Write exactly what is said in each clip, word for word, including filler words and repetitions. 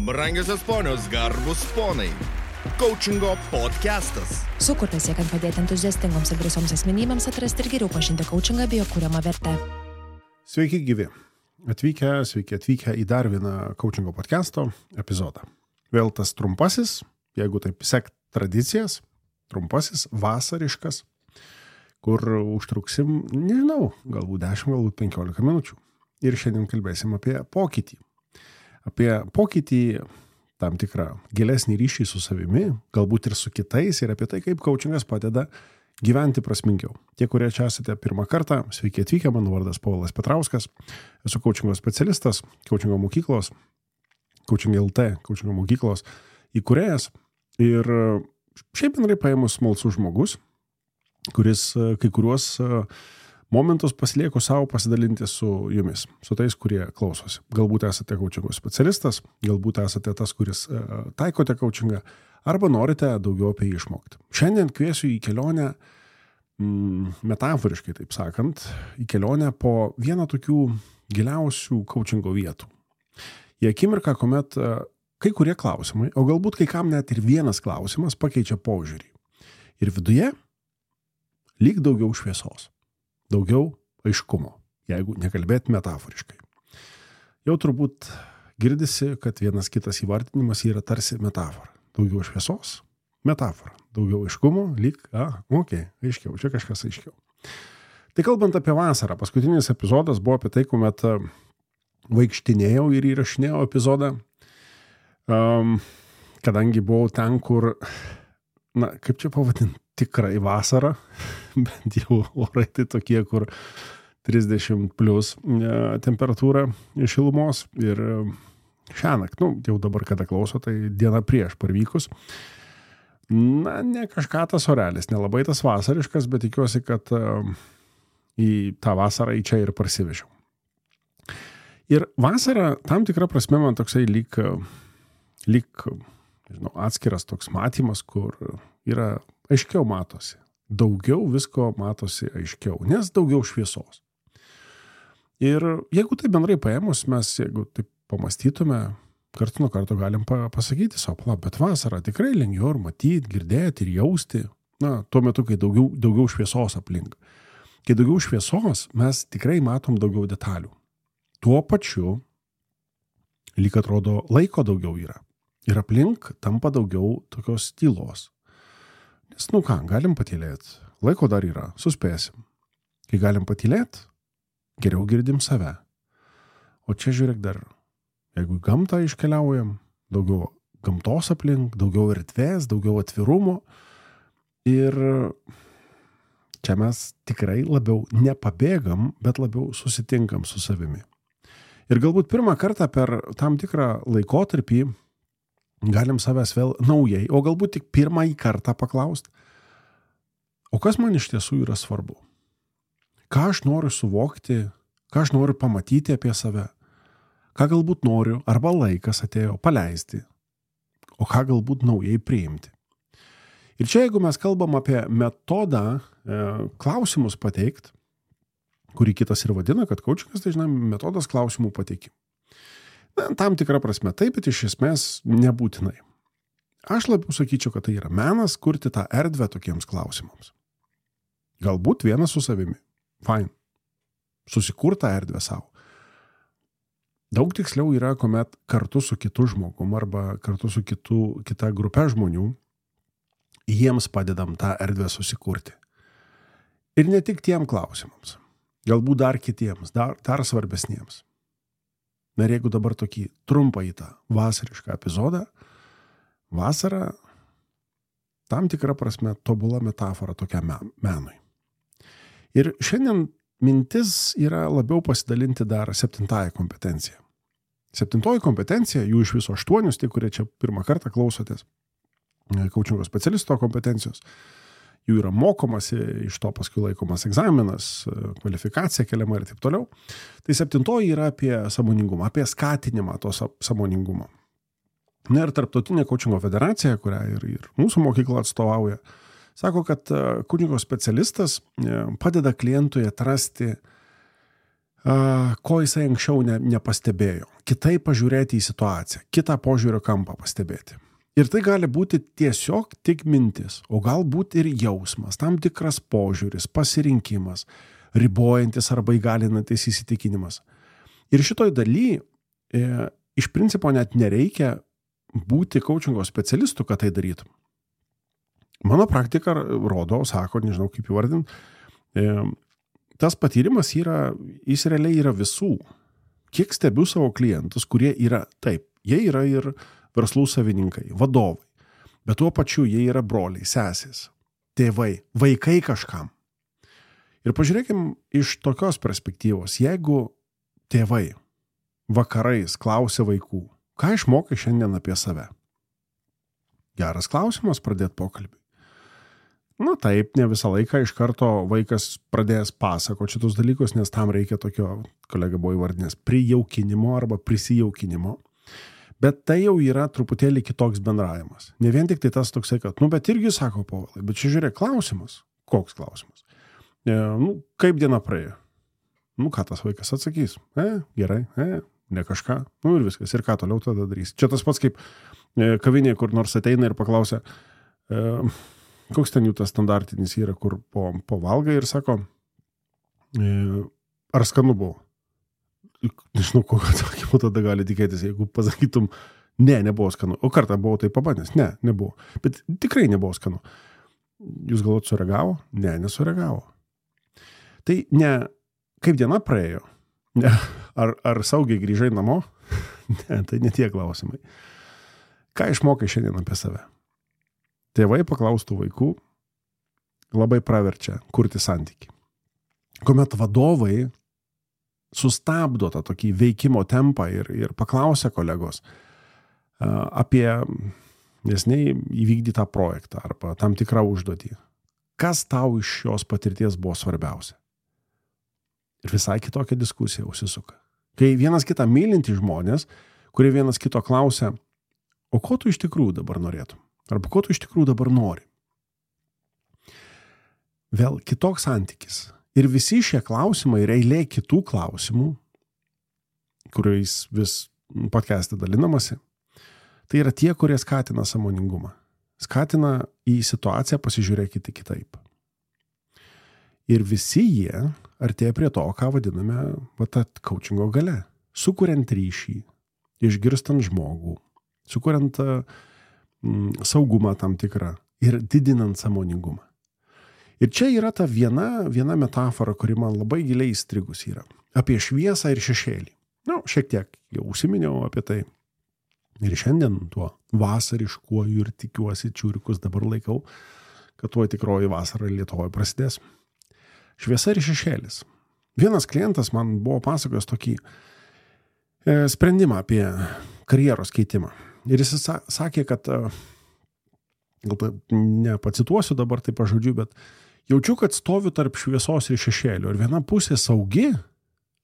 Brangiosios ponios, garbus ponai. Coachingo podcastas. Sukurtas siekiant padėti entuziastingoms ir drąsioms asmenybėms atrasti ir geriau pažinti coachingą bei jo kuriamą vertę. Sveiki gyvi. Atvykę, sveiki atvykę į dar vieną coachingo podcasto epizodą. Vėl tas trumpasis, jeigu taip sekt tradicijas, trumpasis, vasariškas, kur užtruksim, nežinau, galbūt dešimt, galbūt penkiolika minučių. Ir šiandien kalbėsim apie pokytį. Apie pokytį, tam tikrą gilesnį ryšį su savimi, galbūt ir su kitais, ir apie tai, kaip coachingas padeda gyventi prasmingiau. Tie, kurie čia esate pirmą kartą, sveiki atvykę, mano vardas Povilas Petrauskas, esu coachingo specialistas, coachingo mokyklos, Coaching L T, coachingo mokyklos įkūrėjas ir šiaip bendrai paėmus smalsus žmogus, kuris kai kuriuos momentus pasilieku savo pasidalinti su jumis, su tais, kurie klausosi. Galbūt esate coachingo specialistas, galbūt esate tas, kuris taikote coachingą, arba norite daugiau apie jį išmokti. Šiandien kviesiu į kelionę, metaforiškai taip sakant, į kelionę po vieną tokių giliausių coachingo vietų. Į akimirką, kuomet kai kurie klausimai, o galbūt kai kam net ir vienas klausimas pakeičia požiūrį. Ir viduje lyg daugiau šviesos. Daugiau aiškumo, jeigu nekalbėt metaforiškai. Jau turbūt girdisi, kad vienas kitas įvardinimas yra tarsi metafora. Daugiau šviesos, metafora. Daugiau aiškumo, lyg, a, okei, okay, aiškiau, čia kažkas aiškiau. Tai kalbant apie vasarą, paskutinis epizodas buvo apie tai, kuomet vaikštinėjau ir įrašinėjau epizodą, um, kadangi buvau ten, kur, na, kaip čia pavadinti, tikrai vasara, bent jau orai tai tokie, kur trisdešimt plus temperatūra šilumos ir šiąnakt, nu, jau dabar kada klauso, tai diena prieš parvykus. Na, ne kažką tas orelis, nelabai tas vasariškas, bet tikiuosi, kad į tą vasarą į čia ir parsivežiau. Ir vasara, tam tikra prasme, man toksai lyg, lyg nežinau, atskiras toks matymas, kur yra aiškiau matosi. Daugiau visko matosi aiškiau, nes daugiau šviesos. Ir jeigu tai bendrai paėmus, mes, jeigu taip pamastytume, kartu nuo karto galim pasakyti savo, bet vasarą tikrai lengviau ir matyti, girdėti ir jausti, na, tuo metu, kai daugiau, daugiau šviesos aplink. Kai daugiau šviesos, mes tikrai matom daugiau detalių. Tuo pačiu, lyg atrodo, laiko daugiau yra. Ir aplink tampa daugiau tokios tylos. Nes, nu ką, galim patylėti. Laiko dar yra, suspėsim. Kai galim patylėti, geriau girdim save. O čia žiūrėk dar, jeigu į gamtą iškeliaujam, daugiau gamtos aplink, daugiau erdvės, daugiau atvirumo. Ir čia mes tikrai labiau nepabėgam, bet labiau susitinkam su savimi. Ir galbūt pirmą kartą per tam tikrą laikotarpį galim savęs vėl naujai, o galbūt tik pirmąjį kartą paklaust, o kas man iš tiesų yra svarbu? Ką aš noriu suvokti, ką aš noriu pamatyti apie save, ką galbūt noriu, arba laikas atėjo paleisti, o ką galbūt naujai priimti. Ir čia, jeigu mes kalbam apie metodą, e, klausimus pateikt, kurį kitas ir vadina, kad coachingas, tai žinai, metodas klausimų pateikimų. Na, tam tikrą prasme taip, bet iš esmės nebūtinai. Aš labiau sakyčiau, kad tai yra menas kurti tą erdvę tokiems klausimams. Galbūt vienas su savimi. Fine. Susikurt tą erdvę savo. Daug tiksliau yra, kuomet kartu su kitu žmogum arba kartu su kitu, kita grupė žmonių jiems padedam tą erdvę susikurti. Ir ne tik tiem klausimams. Galbūt dar kitiems, dar, dar svarbesniems. Na ir jeigu dabar tokį trumpą į tą vasarišką epizodą, vasara tam tikrą prasme tobula metafora tokiam menui. Ir šiandien mintis yra labiau pasidalinti dar septintąją kompetenciją. Septintoji kompetencija, jų iš viso aštuonius, tie, kurie čia pirmą kartą klausotės, coachingo specialisto kompetencijos, jų yra mokomasi, iš to paskui laikomas egzaminas, kvalifikacija keliama ir taip toliau. Tai septintoji yra apie sąmoningumą, apie skatinimą to sąmoningumo. Na ir Tarptautinė coachingo federacija, kurią ir, ir mūsų mokykla atstovauja, sako, kad coachingo specialistas padeda klientui atrasti ko jisai anksčiau ne, nepastebėjo. Kitaip pažiūrėti į situaciją, kitą požiūrio kampą pastebėti. Ir tai gali būti tiesiog tik mintis, o galbūt ir jausmas, tam tikras požiūris, pasirinkimas, ribojantis arba įgalinantis įsitikinimas. Ir šitoj daly e, iš principo net nereikia būti coachingo specialistu, kad tai darytum. Mano praktika rodo, sako, nežinau kaip įvardint, e, tas patyrimas yra, jis realiai yra visų. Kiek stebiu savo klientus, kurie yra taip, jie yra ir verslų savininkai, vadovai, bet tuo pačiu jie yra broliai, sesės, tėvai, vaikai kažkam. Ir pažiūrėkim iš tokios perspektyvos, jeigu tėvai vakarais klausia vaikų, ką išmokai šiandien apie save? Geras klausimas pradėti pokalbį. Na taip, ne visą laiką iš karto vaikas pradės pasakoti šitus dalykus, nes tam reikia tokio, kolega buvo įvardinęs, prijaukinimo arba prisijaukinimo. Bet tai jau yra truputėlį kitoks bendravimas. Ne vien tik tai tas toksai, kad, nu, bet irgi sako Povilai, bet čia žiūrėk, klausimas. Koks klausimas? E, nu, kaip diena praėjo? Nu, ką tas vaikas atsakys? E, gerai, e, ne kažką. Nu, ir viskas. Ir ką toliau tada darys? Čia tas pats kaip e, kavinėje, kur nors ateina ir paklausia, e, koks ten jų tas standartinis yra, kur po, po valgai ir sako, e, ar skanu buvo? Nežinau, kokio atsakymo tada gali tikėtis, jeigu pasakytum, ne, nebuvo skanu. O kartą buvau tai pabandęs? Ne, nebuvo. Bet tikrai nebuvo skanu. Jūs galvot, sureagavo? Ne, nesureagavo. Tai ne, kaip diena praėjo? Ne, ar, ar saugiai grįžai namo? Ne, tai ne tie klausimai. Ką išmokai šiandien apie save? Tėvai paklaustų vaikų labai praverčia kurti santykį. Kuomet vadovai sustabdo tą tokį veikimo tempą ir, ir paklausia kolegos apie neseniai įvykdytą projektą arba tam tikrą užduotį. Kas tau iš šios patirties buvo svarbiausia? Ir visai kitokia diskusija užsisuka. Kai vienas kitą mylinti žmonės, kurie vienas kito klausia, o ko tu iš tikrųjų dabar norėtum? Arba ko tu iš tikrųjų dabar nori? Vėl kitoks santykis. Ir visi šie klausimai ir eilė kitų klausimų, kuriais vis podcast'e dalinamasi, tai yra tie, kurie skatina sąmoningumą. Skatina į situaciją pasižiūrėkite kitaip. Ir visi jie artėja prie to, ką vadiname va, ta coachingo galia. Sukuriant ryšį, išgirstant žmogų, sukuriant mm, saugumą tam tikrą ir didinant sąmoningumą. Ir čia yra ta viena, viena metafora, kuri man labai giliai įstrigus yra. Apie šviesą ir šešėlį. Na, nu, šiek tiek jau užsiminiau apie tai. Ir šiandien tuo vasariškuoju ir tikiuosi čiūrikus dabar laikau, kad tuo tikroji vasara Lietuvoje prasidės. Šviesa ir šešėlis. Vienas klientas man buvo pasakojęs tokį e, sprendimą apie karjeros keitimą. Ir jis sakė, kad, gal nepacituosiu dabar taip pažodžiu, bet jaučiu, kad stoviu tarp šviesos ir šešėlio. Ir viena pusė saugi,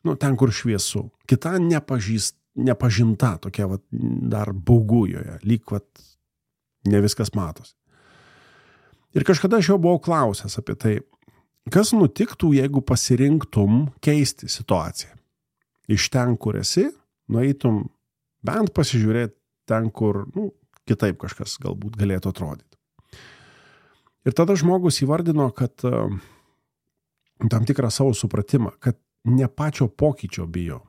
nu, ten, kur šviesu. Kita nepažįst, nepažinta, tokia vat, dar baugujoje, lyg vat, ne viskas matosi. Ir kažkada aš jau buvau klausęs apie tai, kas nutiktų, jeigu pasirinktum keisti situaciją. Iš ten, kur esi, nueitum bent pasižiūrėti ten, kur nu, kitaip kažkas galbūt galėtų atrodyti. Ir tada žmogus įvardino, kad uh, tam tikrą savo supratimą, kad ne pačio pokyčio bijo,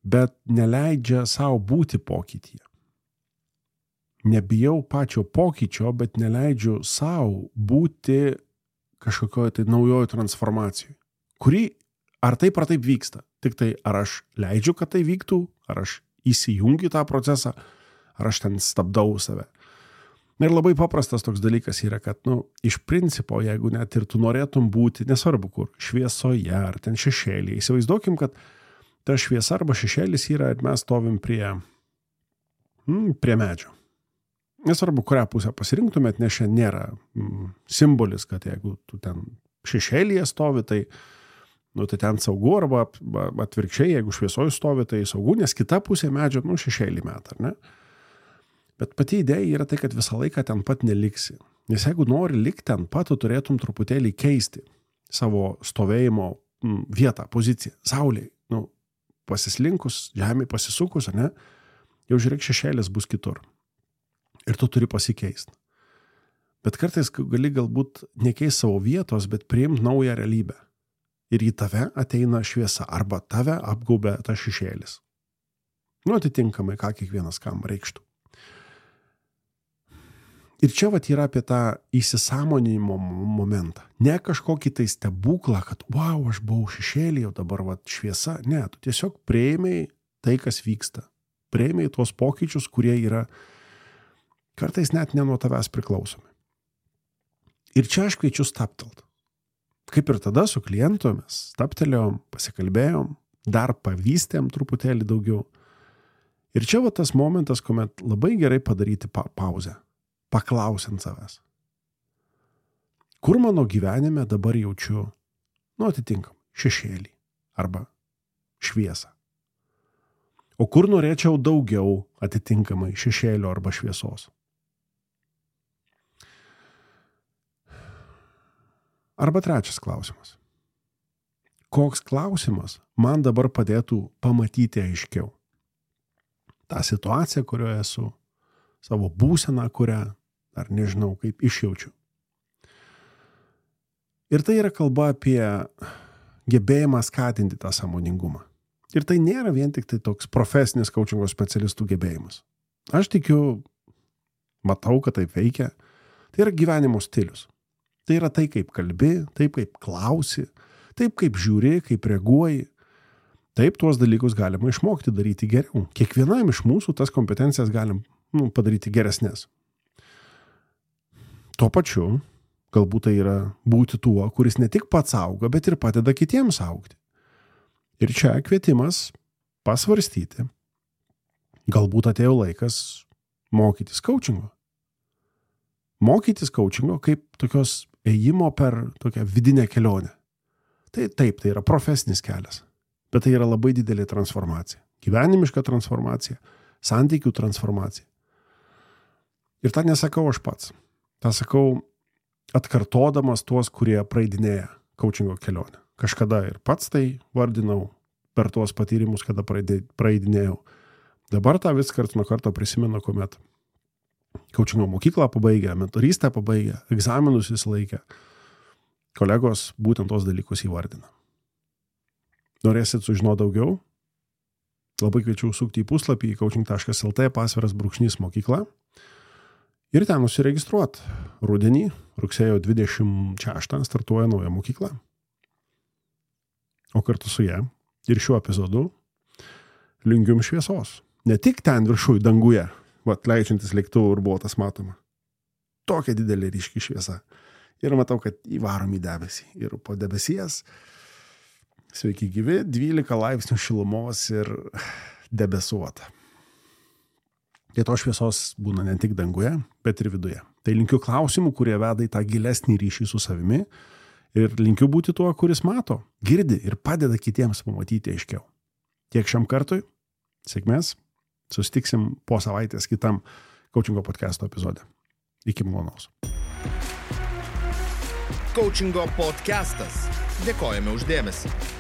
bet neleidžia savo būti pokytyje. Nebijau pačio pokyčio, bet neleidžiu savo būti kažkokioje tai naujoje transformacijoje, kuri ar taip ar taip vyksta. Tik tai ar aš leidžiu, kad tai vyktų, ar aš įsijungiu tą procesą, ar aš ten stabdau save. Ir labai paprastas toks dalykas yra, kad, nu, iš principo, jeigu net ir tu norėtum būti, nesvarbu kur, šviesoje ar ten šešėlyje, įsivaizduokim, kad ta šviesa arba šešėlis yra ir mes stovim prie, mm, prie medžio. Nesvarbu, kurią pusę pasirinktumėt, nes čia nėra mm, simbolis, kad jeigu tu ten šešėlyje stovi, tai, nu, tai ten saugu, arba atvirkščiai, jeigu šviesoje stovi, tai saugu, nes kita pusė medžio, nu, šešėlį metą, ar ne? Bet pati idėja yra tai, kad visą laiką ten pat neliksi. Nes jeigu nori likti ten pat, tu turėtum truputėlį keisti savo stovėjimo m, vietą, poziciją. Saulėje, nu, pasislinkus, žemė pasisukus, ne, jau žiūrėk, šešėlis bus kitur. Ir tu turi pasikeisti. Bet kartais gali galbūt nekeisti savo vietos, bet priimti naują realybę. Ir į tave ateina šviesa, arba tave apgaubia ta šešėlis. Nu, atitinkamai, ką kiekvienas kam reikštų. Ir čia vat yra apie tą įsisąmoninimo momentą. Ne kažkokį tai stebuklą, kad wow, aš buvau šešėlį, jau dabar vat šviesa. Ne, tu tiesiog prieimiai tai, kas vyksta. Prieimiai tuos pokyčius, kurie yra kartais net ne nuo tavęs priklausomi. Ir čia aš kviečiu staptelt. Kaip ir tada su klientu mes staptelėjom, pasikalbėjom, dar pavystėm truputėlį daugiau. Ir čia va tas momentas, kuomet labai gerai padaryti pa pauzę, paklausiant savęs. Kur mano gyvenime dabar jaučiu, nu atitinkam, šešėlį arba šviesą. O kur norėčiau daugiau atitinkamai šešėlio arba šviesos. Arba trečias klausimas. Koks klausimas man dabar padėtų pamatyti aiškiau? Ta situacija, kurioje esu, savo būseną, kurią, ar nežinau, kaip išjaučiu. Ir tai yra kalba apie gebėjimą skatinti tą sąmoningumą. Ir tai nėra vien tik tai toks profesinis coachingo specialistų gebėjimas. Aš tikiu, matau, kad taip veikia. Tai yra gyvenimo stilius. Tai yra tai, kaip kalbi, taip, kaip klausi, taip, kaip žiūri, kaip reaguoji. Taip, tuos dalykus galima išmokti daryti geriau. Kiekvienam iš mūsų tas kompetencijas galim nu, padaryti geresnės. Tuo pačiu, galbūt tai yra būti tuo, kuris ne tik pats auga, bet ir padeda kitiems augti. Ir čia kvietimas pasvarstyti. Galbūt atėjo laikas mokytis coachingo. Mokytis coachingo kaip tokios ėjimo per tokią vidinę kelionę. Tai taip, tai yra profesinis kelias, bet tai yra labai didelė transformacija. Gyvenimiška transformacija, santykių transformacija. Ir tą nesakau aš pats. tą sakau atkartodamas tuos, kurie praeidinėja coachingo kelionę. Kažkada ir pats tai vardinau per tuos patyrimus, kada praeidinėjau. Dabar tą vis karts nuo karto prisimenu, kuomet coachingo mokyklą pabaigę, mentorystę pabaigę, egzaminus vis laikę. Kolegos būtent tos dalykus įvardina. Norėsit sužinoti daugiau? Labai kviečiu sukti į puslapį coaching taškas el tė pasviras brūkšnys mokykla ir ten nusiregistruoti. Rudenį, rugsėjo dvidešimt šeštą startuoja nauja mokykla. O kartu su ją ir šiuo epizodu linkiu jums šviesos. Ne tik ten viršuj danguje, vat leidžiantis lėktuvų ir buvo tas matoma. Tokia didelė ryški šviesa. Ir matau, kad įvarom į debesį. Ir po debesies, sveiki gyvi, dvylika laipsnių šilumos ir debesuota. Tai to šviesos būna ne tik danguje, bet ir viduje. Tai linkiu klausimų, kurie veda į tą gilesnį ryšį su savimi. Ir linkiu būti tuo, kuris mato, girdi ir padeda kitiems pamatyti aiškiau. Tiek šiam kartui. Sėkmės. Susitiksim po savaitės kitam coachingo podcast'o epizode. Iki malonaus. Coachingo podcastas. Dėkojame už dėmesį.